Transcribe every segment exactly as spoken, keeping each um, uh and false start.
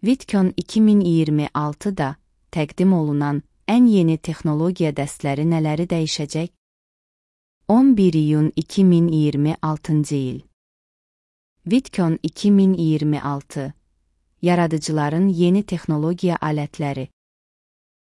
VidCon iki min iyirmi altıda təqdim olunan ən yeni texnologiya dəstləri nələri dəyişəcək? on bir iyun iki min iyirmi altıncı il. VidCon iki min iyirmi altı. Yaradıcıların yeni texnologiya alətləri.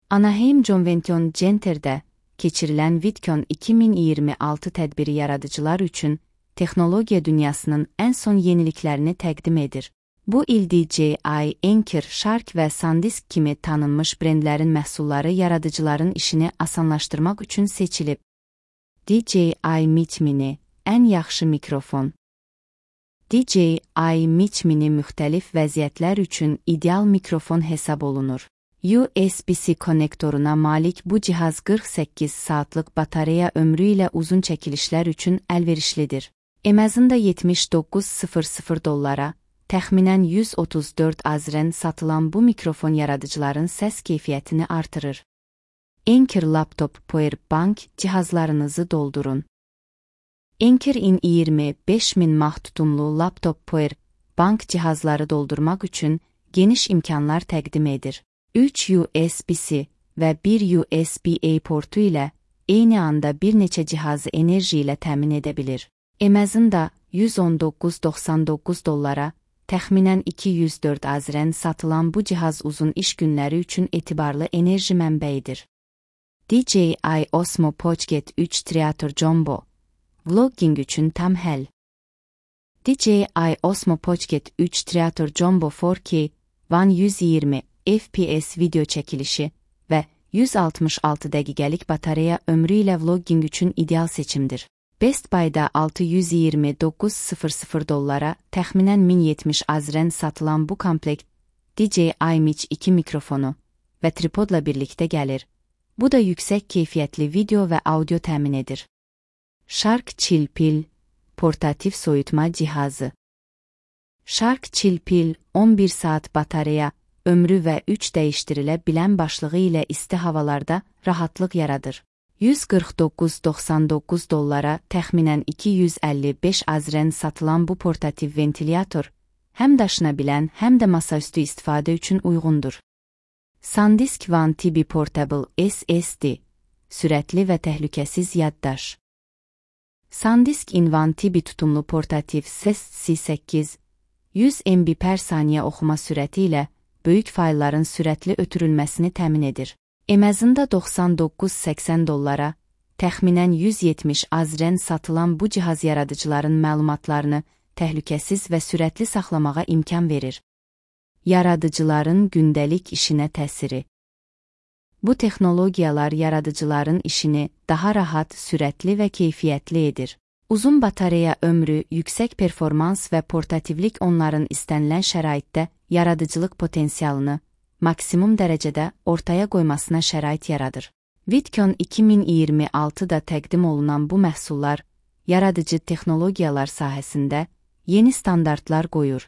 Anaheim Convention Center'də keçirilən VidCon iki min iyirmi altı tədbiri yaradıcılar üçün texnologiya dünyasının ən son yeniliklərini təqdim edir. Bu il D J I, Anker, Shark və SanDisk kimi tanınmış brendlərin məhsulları yaradıcıların işini asanlaşdırmaq üçün seçilib. D J I Mic Mini, ən yaxşı mikrofon. D J I Mic Mini müxtəlif vəziyyətlər üçün ideal mikrofon hesab olunur. U S B-C konnektoruna malik bu cihaz qırx səkkiz saatlıq batareya ömrü ilə uzun çəkilişlər üçün əlverişlidir. Amazon'da yetmiş doqquz min dollara, təxminən yüz otuz dörd azren satılan bu mikrofon yaradıcıların səs keyfiyyətini artırır. Anker Laptop Power Bank cihazlarınızı doldurun. Anker in iyirmi beş min mAh tutumlu Laptop Power Bank cihazları doldurmaq üçün geniş imkanlar təqdim edir. üç U S B-C və bir U S B A portu ilə eyni anda bir neçə cihazı enerji ilə təmin edə bilir. Amazon'da yüz on doqquz min doxsan doqquz dollara, təxminən iki yüz dörd azren satılan bu cihaz uzun iş günləri üçün etibarlı enerji mənbəyidir. D J I Osmo Pocket üç Triator Jumbo, vlogging üçün tam həll. D J I Osmo Pocket üç Triator Jumbo dörd K, yüz iyirmi F P S video çəkilişi və yüz altmış altı dəqiqəlik batareya ömrü ilə vlogging üçün ideal seçimdir. Best Buy'da altı yüz iyirmi doqquz min dollara, təxminən min yetmiş azren satılan bu komplekt D J I Mic iki mikrofonu və tripodla birlikdə gəlir. Bu da yüksək keyfiyyətli video və audio təmin edir. Shark Chill Pill, portativ soyutma cihazı. Shark Chill Pill, on bir saat batareya ömrü və üç dəyişdirilə bilən başlığı ilə isti havalarda rahatlıq yaradır. yüz qırx doqquz min doxsan doqquz dollara, təxminən iki yüz əlli beş azren satılan bu portativ ventilyator, həm daşına bilən, həm də masaüstü istifadə üçün uyğundur. SanDisk One T B Portable S S D, sürətli və təhlükəsiz yaddaş. SanDisk in One T B tutumlu portativ S S D səkkiz, yüz megabayt per saniyə oxuma sürəti ilə böyük faylların sürətli ötürülməsini təmin edir. Amazon'da doxsan doqquz min səksən dollara, təxminən yüz yetmiş azren satılan bu cihaz yaradıcıların məlumatlarını təhlükəsiz və sürətli saxlamağa imkan verir. Yaradıcıların gündəlik işinə təsiri. Bu texnologiyalar yaradıcıların işini daha rahat, sürətli və keyfiyyətli edir. Uzun batareya ömrü, yüksək performans və portativlik onların istənilən şəraitdə yaradıcılıq potensialını maksimum dərəcədə ortaya qoymasına şərait yaradır. VidCon iki min iyirmi altıda təqdim olunan bu məhsullar, yaradıcı texnologiyalar sahəsində yeni standartlar qoyur.